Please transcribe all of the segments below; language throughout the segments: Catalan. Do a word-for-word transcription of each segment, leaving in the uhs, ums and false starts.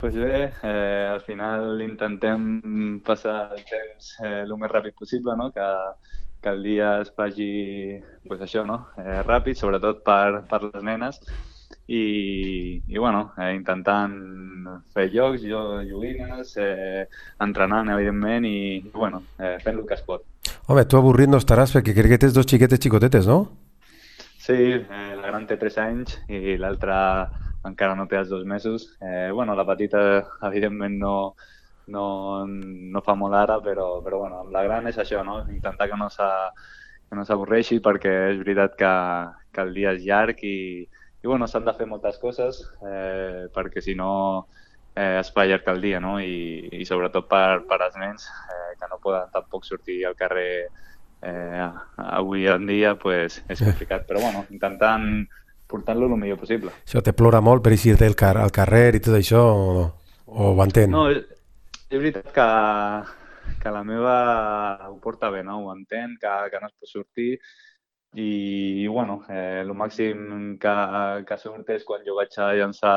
Pues bé, eh, al final intentem passar el temps eh, el més ràpid possible, no? Que, que el dia es faci, pues això, no? Eh, ràpid, sobretot per, per les nenes. I, i bueno, eh, intentant fer jocs, jo, joguines, eh, entrenant, evidentment, i, bueno, eh, fent el que es pot. Home, tu avorrit no estaràs perquè crec que tens dos xiquetes xicotetes, no? Sí, eh, la gran té tres anys i l'altra encara no té els dos mesos. Eh, bueno, la petita, evidentment, no, no, no fa molt ara, però, però bueno, amb la gran és això, no? Intentar que no s'a- que no s'avorreixi perquè és veritat que, que el dia és llarg i, i bueno, s'han de fer moltes coses eh, perquè si no eh, es fa llarg el dia, no? I, i sobretot per, per als nens eh, que no poden tampoc sortir al carrer eh, avui en dia, pues, és complicat. Però bueno, intentant portar-lo el millor possible. Això te plora molt per eixir del car al carrer i tot això, o, o ho entén? No, és, és veritat que, que la meva ho porta bé, no? Ho entén, que, que no es pot sortir i, i bueno, eh, el màxim que, que surt és quan jo vaig a llançar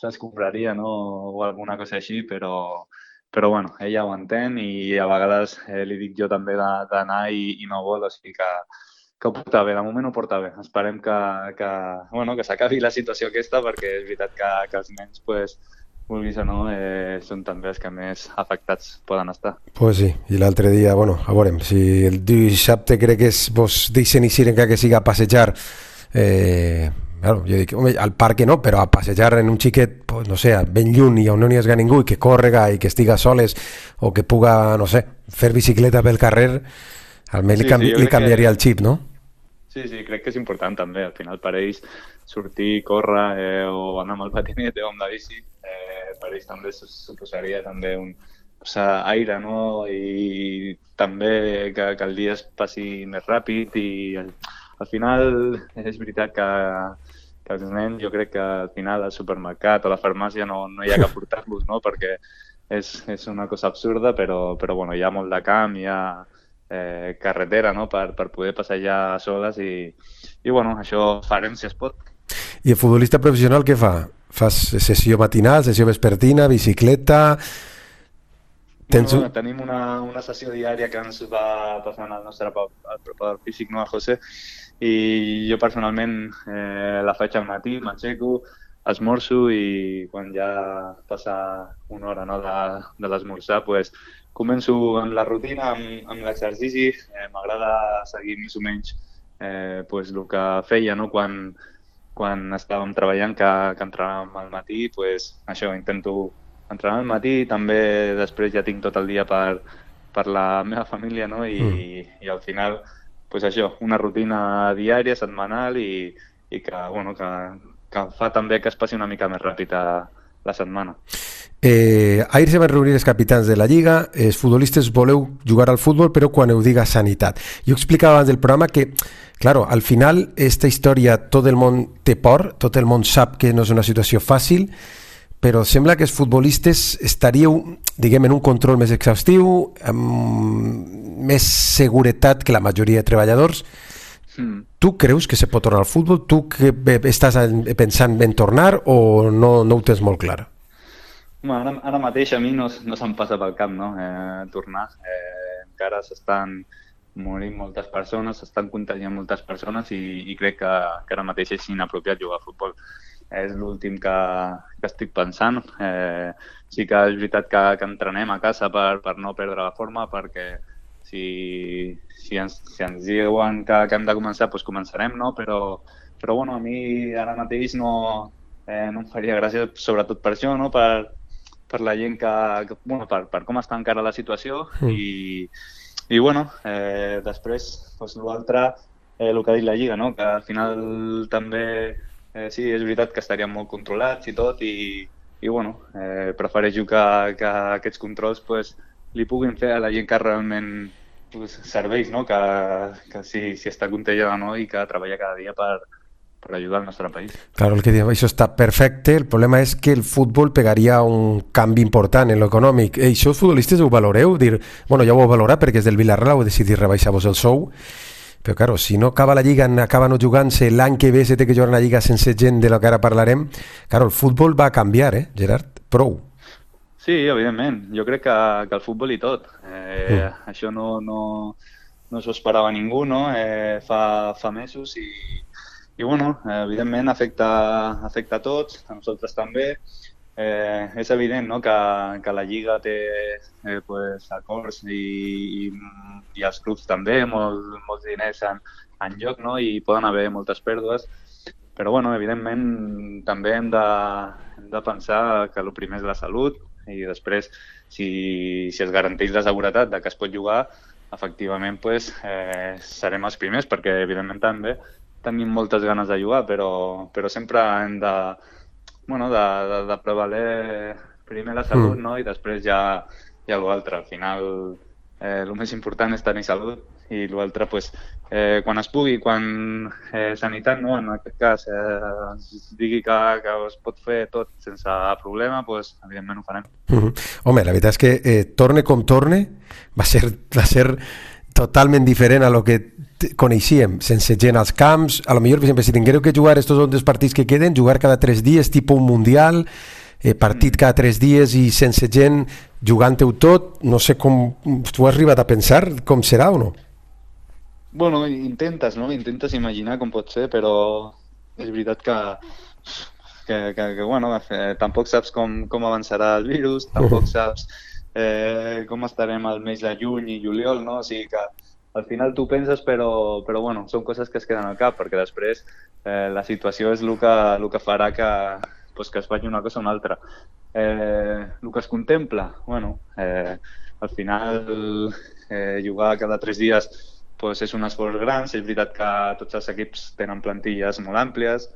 l'escombraria, no? O alguna cosa així, però, però bueno, ella ho entén i a vegades eh, li dic jo també de- d'anar i, i no vol, o sigui que, que ho porta bé, de moment ho porta bé. Esperem que, que, bueno, que s'acabi la situació aquesta perquè és veritat que, que els nens, pues, vulguis o no, eh, són també els que més afectats poden estar. Pues sí, i l'altre dia, bueno, a veurem, si el dissabte crec que és, vos deixen eixir encara que siga a passejar, eh, claro, jo dic, home, al parc no, però a passejar en un xiquet, pues, no sé, ben lluny i on no n'hi hagi ningú i que córrega i que estiga soles o que puga, no sé, fer bicicleta pel carrer, almenys li, Sí, sí, canvi, jo li crec canviaria que el xip, no? sí, sí, crec que és important també. Al final per ells sortir, córrer eh, o anar amb el patinet o amb la bici, eh, per ells també su- suposaria també un posar aire, no? I també que, que el dia es passi més ràpid i al, al final és veritat que, que els nens jo crec que al final al supermercat o a la farmàcia no, no hi ha que portar-los, no? Perquè és, és una cosa absurda, però, però bueno, hi ha molt de camp, hi ha eh, carretera, no? per, per poder passejar soles i, i bueno, això farem si es pot. I el futbolista professional què fa? Fas sessió matinal, sessió vespertina, bicicleta... Tens Bueno, un... tenim una, una sessió diària que ens va passant el nostre pa- el preparador físic, no, el José, i jo personalment eh, la faig al matí, m'aixeco, esmorzo i quan ja passa una hora, no, de, de l'esmorzar, pues, començo amb la rutina, amb, amb l'exercici. Eh, m'agrada seguir més o menys eh, pues, el que feia, no? quan, quan estàvem treballant, que, que entrenàvem al matí, pues, això, intento entrenar al matí, també després ja tinc tot el dia per, per la meva família, no? I, Mm. i al final, pues això, una rutina diària, setmanal i, i que, bueno, que, que fa també que es passi una mica més ràpid a la setmana. Eh, ahir se van reunir els capitans de la Lliga, els futbolistes voleu jugar al futbol, però quan ho diga sanitat. Jo explicava abans del programa que, claro, al final, esta història, tot el món té por, tot el món sap que no és una situació fàcil, però sembla que els futbolistes estaríeu, diguem, en un control més exhaustiu, amb més seguretat que la majoria de treballadors. Mm. Tu creus que se pot tornar al futbol? Tu que eh, estàs en- pensant en tornar o no, no ho tens molt clar? Home, ara, ara mateix a mi no, no se'm passa pel cap, no? Eh, tornar. Eh, encara s'estan morint moltes persones, s'estan contagiant moltes persones i, i crec que, que ara mateix és inapropiat jugar a futbol. És l'últim que, que estic pensant. Eh, sí que és veritat que, que entrenem a casa per, per no perdre la forma, perquè si, si, ens, si ens diuen que, que hem de començar, doncs començarem, no? Però, però bueno, a mi ara mateix no, eh, no em faria gràcia, sobretot per això, no? Per, per la gent que, que bueno, per, per com està encara la situació Mm. i, i bueno, eh, després doncs, l'altre, eh, el que ha dit la Lliga, no? Que al final també eh, sí, és veritat que estaríem molt controlats i tot i, i bueno, eh, prefereixo que, que aquests controls pues, li puguin fer a la gent que realment pues, serveix, no? Que, que si, si està contagiada o no i que treballa cada dia per, per ajudar al nostre país. Claro, el que diu, això està perfecte, el problema és que el futbol pegaria un canvi important en l'econòmic. Eh, això els futbolistes ho valoreu? Dir, bueno, ja ho heu valorat perquè és del Villarreal, heu decidit rebaixar-vos el sou, però claro, si no acaba la Lliga, acaba no jugant-se, l'any que ve se té que jugar una Lliga sense gent de la que ara parlarem, claro, el futbol va canviar, eh, Gerard? Prou. Sí, evidentment. Jo crec que, que el futbol i tot. Eh, Mm. això no, no, no s'ho esperava ningú, no? Eh, fa, fa mesos i, i bueno, eh, evidentment afecta, afecta a tots, a nosaltres també. Eh, és evident, no?, que, que la Lliga té eh, pues, acords i, i, i els clubs també, molt, molts diners en, en joc, no?, i poden haver moltes pèrdues. Però, bueno, evidentment, també hem de, hem de pensar que el primer és la salut i després, si, si es garanteix la seguretat de que es pot jugar, efectivament, pues, eh, serem els primers, perquè, evidentment, també tenim moltes ganes de jugar, però, però sempre hem de, bueno, de, de, de prevaler primer la salut, Mm. no?, i després ja, ja l'altre. Al final, eh, el més important és tenir salut i l'altre, pues, eh, quan es pugui, quan eh, sanitat, no?, en aquest cas, eh, ens digui que, que es pot fer tot sense problema, pues, evidentment ho farem. Mm. Home, la veritat és que eh, torne com torne va ser, va ser totalment diferent a lo que t- coneixíem, sense gent als camps. A lo millor, per exemple, si tinguéreu que jugar estos dos partits que queden, jugar cada tres dies, tipus un mundial, eh, partit cada tres dies i sense gent jugant-ho tot, no sé com tu has arribat a pensar com serà o no? Bueno, intentes, no? Intentes imaginar com pot ser, però és veritat que, que, que, que bueno, eh, tampoc saps com, com avançarà el virus, tampoc saps eh, com estarem al mes de juny i juliol, no? O sigui que al final tu penses, però, però bueno, són coses que es queden al cap, perquè després eh, la situació és el que, el que farà que, pues, que es faci una cosa o una altra. Eh, el que es contempla, bueno, eh, al final eh, jugar cada tres dies pues, és un esforç gran. És veritat que tots els equips tenen plantilles molt àmplies,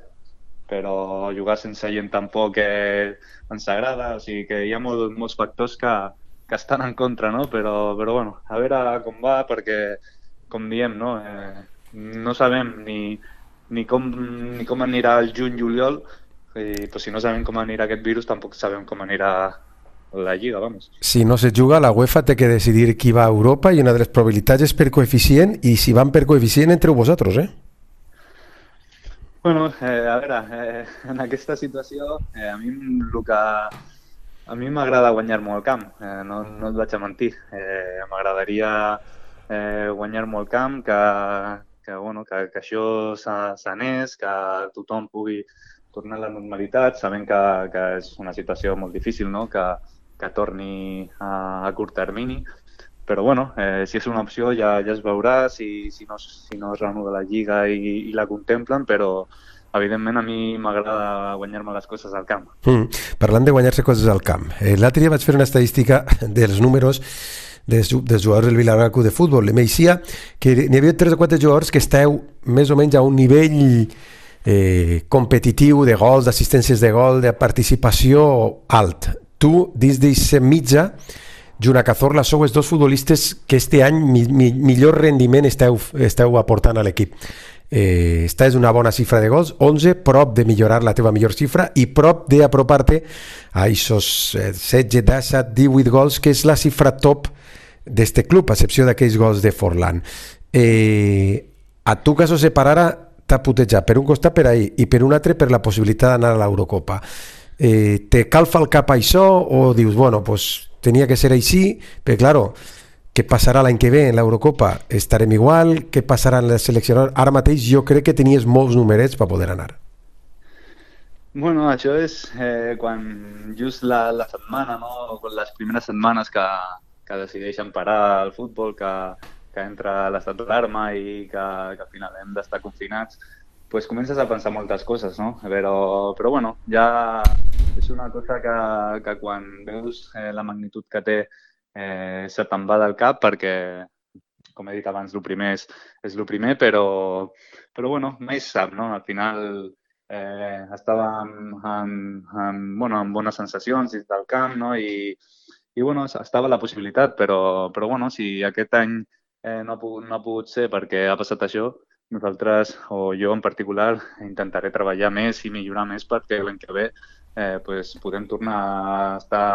però jugar sense gent tampoc eh, ens agrada. O sigui que hi ha molt, molts factors que, que estan en contra, no? Però, però bueno, a veure com va, perquè, com diem, no, eh, no sabem ni, ni, com, ni com anirà el juny-juliol, i pues, si no sabem com anirà aquest virus, tampoc sabem com anirà la Lliga, vamos. Si no se juga, la UEFA té que decidir qui va a Europa i una de les probabilitats és per coeficient, i si van per coeficient entreu vosaltres, eh? Bueno, eh, a veure, eh, en aquesta situació eh, a mi el que a mi m'agrada guanyar-m'ho al camp, eh, no, no et vaig a mentir. Eh, m'agradaria eh, guanyar-m'ho al camp, que, que, bueno, que, que això s'anés, que tothom pugui tornar a la normalitat, sabent que, que és una situació molt difícil, no?, que, que torni a, a curt termini. Però bueno, eh, si és una opció ja, ja es veurà si, si, no, si no es reanuda la Lliga i, i la contemplen, però evidentment a mi m'agrada guanyar-me les coses al camp. Mm. Parlant de guanyar-se coses al camp, eh, l'altre dia vaig fer una estadística dels números dels, dels jugadors del Villarreal Club de Futbol. M'eixia que n'hi havia tres o quatre jugadors que esteu més o menys a un nivell eh, competitiu de gols, d'assistències de gol, de participació alt. Tu, dins d'aquesta mitja, junt a Cazorla, sou els dos futbolistes que este any mi, mi, millor rendiment esteu, esteu aportant a l'equip. Eh, esta és una bona xifra de gols, onze, prop de millorar la teva millor xifra i prop d'apropar-te a aquests eh, setze, disset, divuit gols, que és la xifra top d'este club, a excepció d'aquells gols de Forlán. Eh, a tu que s'ho separara t'ha putejat per un costat per ahir i per un altre per la possibilitat d'anar a l'Eurocopa. Eh, te calfa el cap això o dius, bueno, pues tenia que ser així, però claro, què passarà l'any que ve en l'Eurocopa? Estarem igual? Què passarà en la selecció? Ara mateix jo crec que tenies molts numerets per poder anar. Bueno, això és eh, quan just la, la setmana, no? Les primeres setmanes que, que decideixen parar el futbol, que, que entra l'estat d'alarma i que, que al final hem d'estar confinats, pues comences a pensar moltes coses, no? Però, però bueno, ja és una cosa que, que quan veus eh, la magnitud que té eh, se te'n va del cap, perquè, com he dit abans, el primer és, és el primer, però, però bueno, mai se sap, no? Al final eh, estàvem en, en, bueno, amb bones sensacions dins del camp, no? I, i bueno, estava la possibilitat, però, però bueno, si aquest any eh, no, ha pogut, no ha pogut ser perquè ha passat això, nosaltres, o jo en particular, intentaré treballar més i millorar més perquè l'any que ve eh, pues, podem tornar a estar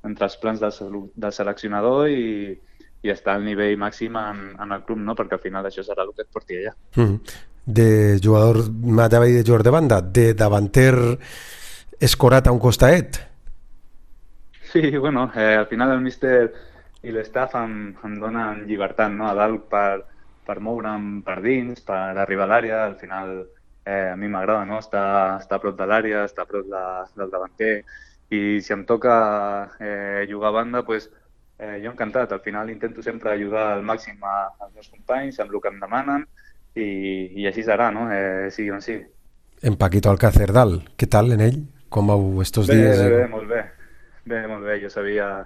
entre els plans del, del seleccionador i, i estar al nivell màxim en, en el club, no? Perquè al final això serà el que et porti allà. Mm. De jugador, m'anava a dir de jugador de banda, de davanter escorat a un costaet? Sí, bueno, eh, al final el míster i l'estaf em, em donen llibertat, no?, a dalt per, per moure'm per dins, per arribar a l'àrea. Al final eh, a mi m'agrada, no?, estar, estar a prop de l'àrea, estar a prop de, del davanter, i si em toca eh, jugar a banda, pues, eh, jo encantat. Al final intento sempre ajudar al màxim a, als meus companys, amb el que em demanen, i, i així serà, no?, eh, sigui on sigui. En Paquito Alcácer dalt, què tal en ell? Com vau estos bé, dies? Bé, bé, molt bé. Bé, molt bé. Jo sabia...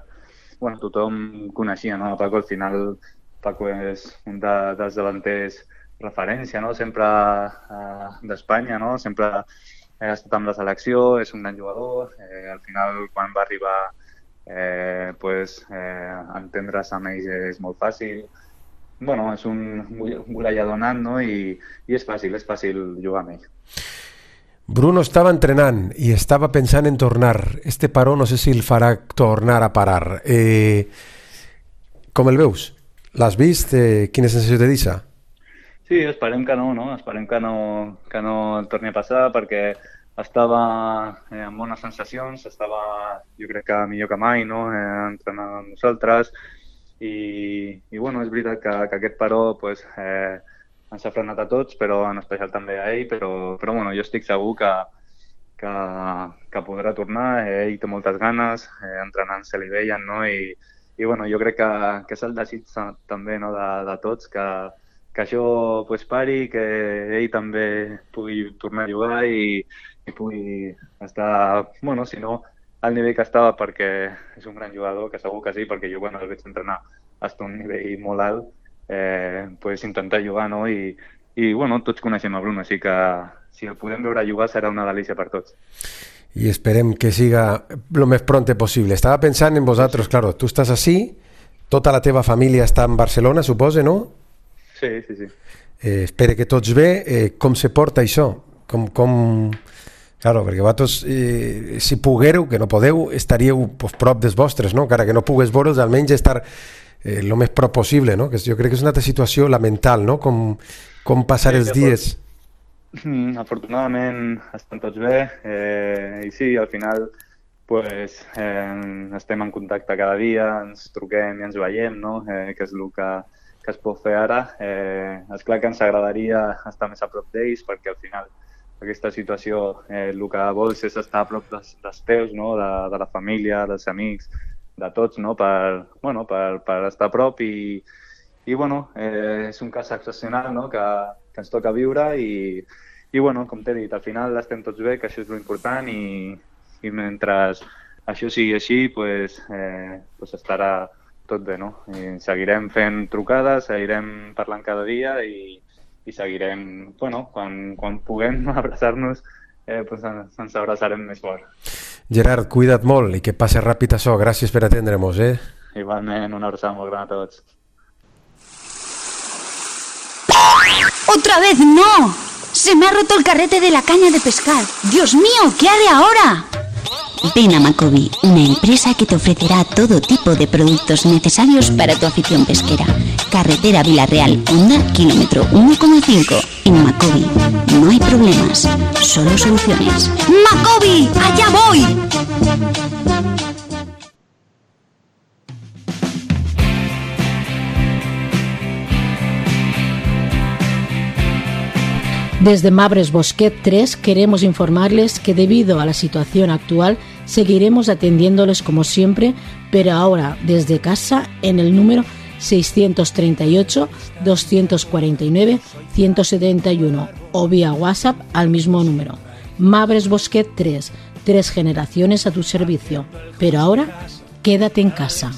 Bueno, tothom coneixia, no?, Paco. Al final, Paco és un de, dels davanters referència, no?, sempre eh, d'Espanya, no?, sempre ha estat amb la selecció, és un gran jugador. Eh, al final, quan va arribar, eh, pues, eh, entendre's amb ells és molt fàcil. Bueno, és un golejador nat, no?, I, i és fàcil, és fàcil jugar amb ell. Bruno estava entrenant i estava pensant en tornar. Este paró no sé si el farà tornar a parar. Eh, com el veus? L'has vist? Eh, quina sensació te deixa? Sí, esperem que no, no? Esperem que no, que no el torni a passar, perquè estava eh, amb bones sensacions, estava, jo crec que millor que mai, no?, eh, entrenant amb nosaltres, i, i bueno, és veritat que, que aquest paró, pues, eh, ens ha frenat a tots, però en especial també a ell, però, però bueno, jo estic segur que, que, que podrà tornar. Ell té moltes ganes, eh, entrenant se li veien, no? I, i bueno, jo crec que, que és el desig també, no?, de, de tots, que, que això pues, pari, que ell també pugui tornar a jugar i, i pugui estar, bueno, si no al nivell que estava, perquè és un gran jugador, que segur que sí, perquè jo quan el veig entrenar està a un nivell molt alt, Eh, pues intentar jugar, no? I, i bueno, tots coneixem a Bruno, així que si el podem veure jugar serà una delícia per tots. I esperem que siga lo més pronte possible. Estava pensant en vosaltres, sí. Claro, tu estàs així, tota la teva família està en Barcelona, supose, no? Sí, sí, sí. Eh, espero que tots bé. Eh, com se porta això? Com, com... Claro, perquè vosaltres, eh, si poguéreu, que no podeu, estaríeu pues, prop dels vostres, no? Encara que no pugues veure'ls, almenys estar Eh, lo més prop possible, no? Que jo crec que és una altra situació lamental, no? Com, com passar sí, els dies. Mm, afortunadament estan tots bé, eh, i sí, al final pues, eh, estem en contacte cada dia, ens truquem i ens veiem, no? Eh, que és el que, que es pot fer ara. Eh, és clar que ens agradaria estar més a prop d'ells, perquè al final aquesta situació eh, el que vols és estar a prop dels, dels teus, no? de, de la família, dels amics, de tots, no?, per, bueno, per, per estar a prop, i, i bueno, eh, és un cas excepcional, no?, que, que ens toca viure, i, i bueno, com t'he dit, al final estem tots bé, que això és l'important, i, i mentre això sigui així, pues, eh, pues estarà tot bé, no? I seguirem fent trucades, seguirem parlant cada dia, i, i seguirem, bueno, quan, quan puguem abraçar-nos, eh, pues ens, ens abraçarem més fort. Gerard, cuida't molt i que passi ràpid això. Gràcies per atendre-nos, eh? Igualment, una abraçada molt gran a tots. ¡Otra vez no! Se me ha roto el carrete de la caña de pescar. ¡Dios mío! ¿Qué haré ahora? Ven a Macobi, una empresa que te ofrecerá todo tipo de productos necesarios para tu afición pesquera. Carretera Villarreal, Honda, kilómetro uno coma cinco. En Macobi no hay problemas, solo soluciones. ¡Macobi! ¡Allá voy! Desde Mabres Bosquet tres queremos informarles que debido a la situación actual seguiremos atendiéndoles como siempre, pero ahora desde casa en el número seiscientos treinta y ocho, doscientos cuarenta y nueve, ciento setenta y uno o vía WhatsApp al mismo número. Mabres Bosquet tres, tres generaciones a tu servicio, pero ahora quédate en casa.